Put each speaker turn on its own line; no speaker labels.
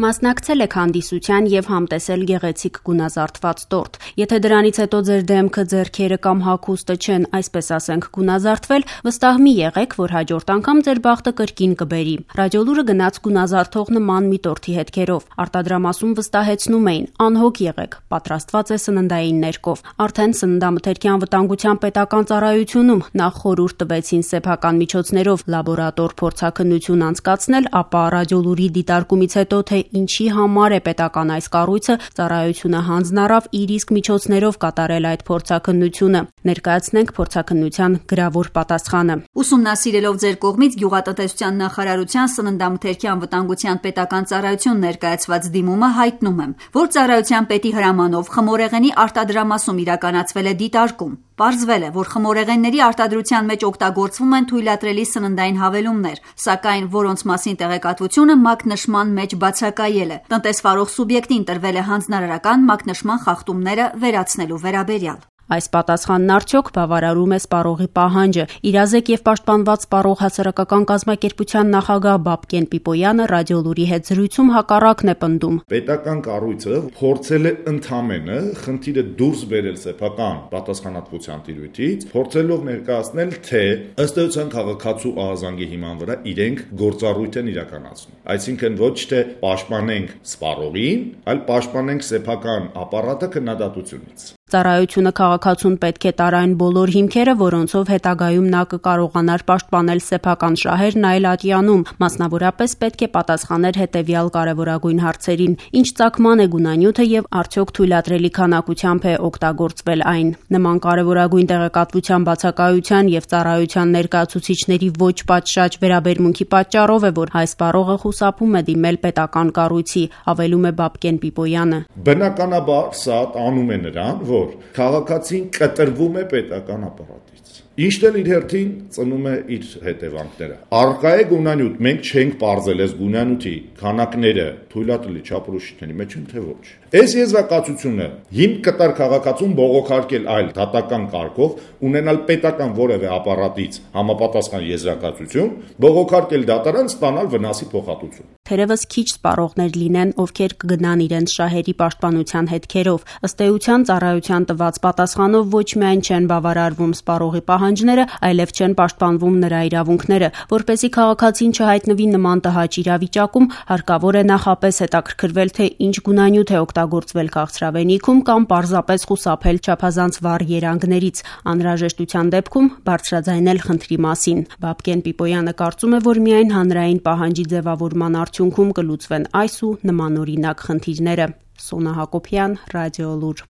Մասնակցել եք հանդիսության եւ համտեսել գեղեցիկ գունազարդված տորտ։ Եթե դրանից հետո ձեր դեմքը, ձեռքերը կամ հագուստը չեն, այսպես ասենք, գունազարդվել, վստահ մի եղեք, որ հաջորդ անգամ ձեր բախտը կրկին կբերի։ Ռադիոլուրը գնաց գունազարդող նման մի տորթի հետքերով։ Արտադրամասում վստահեցնում էին՝ անհոգ եղեք, պատրաստված է սննդային ներկով։ Արդեն Սննդամթերքի անվտանգության պետական ծառայությունում նախ խորհուրդ տվեցին սեփական միջոցներով լաբորատոր փորձաքննություն անցկացնել, ապա ռադիոլուրի դիտարկումից հետո թե ինչի համար է պետական այս կառույցը, ծառայությունը հանձն առավ իր իսկ միջոցներով կատարել այդ փորձաքննությունը։ Ներկայացնենք փորձաքննության գրավոր պատասխանը։
Ուսումնասիրելով ձեր կողմից Գյուղատնտեսության նախարարության Սննդամթերքի անվտանգության պետական ծառայություն ներկայացված դիմումը հայտնում եմ, որ ծառայության պետի հրամանով խմորեղենի արտադրամասում իրականացվել է դիտարկում։ Պարզվել է, որ խմորեղենների արտադրության մեջ օգտագործվում են թույլատրելի սննդային հավելումներ, սակայն որոնց մասին տեղեկատվությունը մակնշման մեջ բացակայել է։ Տնտեսվարող սուբյեկտին տրվել է հանձնարարական մակնշման խախտումները վերացնելու վերաբերյալ։
Այս պատասխանն արդյոք բավարարում է սպառողի պահանջը։ Իրազեկ եւ պաշտպանված սպառող հասարակական կազմակերպության նախագահ Բաբկեն Պիպոյանը ռադիոլուրի հետ զրույցում հակառակն է պնդում։
Պետական կառույցը փորձել է ընդամենը խնդիրը դուրս բերել սեփական պատասխանատվության տիրույթից, փորձելով ներկայացնել, թե ըստ էության քաղաքացու ահազանգի հիման վրա իրենք գործառույթ են իրականացնում։ Այսինքն ոչ թե պաշտպանենք սպառողին, այլ պաշտպանենք սեփական ապարատը քննադատությունից։
Ծառայությունը քաղաքացուն պետք է տար այն բոլոր հիմքերը, որոնցով հետագայում նա կկարողանար պաշտպանել սեփական շահերն այլ ատյանում, մասնավորապես պետք է պատասխաներ հետևյալ կարևորագույն հարցերին. ինչ ծագման է գունանյութը եւ արդյոք թույլատրելի քանակությամբ է օգտագործվել այն։ Նման կարևորագույն տեղեկատվության բացակայության եւ ծառայության ներկայացուցիչների ոչ պատշաճ վերաբերմունքի պատճառով է, որ հայ սպառողը խուսափում է դիմել պետական կառույցի, հավելում է Բաբկեն Պիպոյանը։
Բնականաբար սա տանում է նրան, որ քաղաքացին կտրվում է պետական ապարատից։ Ինչն էլ իր հերթին ծնում է իր հետևանքները։ Առկա է գունանյութ, մենք չենք պարզել այս գունանյութի քանակները թույլատրելի չափորոշիչների մեջ են թե ոչ։ Այս եզրակացությունը հիմք կտար քաղաքացուն բողոքարկել այլ դատական կարգով, ունենալ պետական որևէ ապարատից համապատասխան եզրակացություն, բողոքարկել դատարան, ստանալ վնասի փոխհատուցում։
Թերևս քիչ սպառողներ լինեն, ովքեր կգնան իրենց շահերի պաշտպանության հետքերով։ Ըստ էության ծառայության տված պատասխանով ոչ միայն չեն բավարարվում սպառողի պահանջները, այլև չեն պաշտպանվում նրա իրավունքները։ Որպեսզի քաղաքացին չհայտնվի նման տհաճ իրավիճակում, հարկավոր է նախապես հետաքրքրվել, թե ինչ գունանյութ է օգտագործվել քաղցրավենիքում կամ պարզապես խուսափել չափազանց վառ երանգներից, անհրաժեշտության դեպքում բարձրաձայնել խնդրի մասին։ Բաբկեն Պիպոյանը կարծում է, որ միայն հանրային պահանջի ձևավորման արդյունքում կլուծվեն այս ու նմանօրինակ խնդիրները։ Սոնա Հակոբյան, Ռադիոլուր։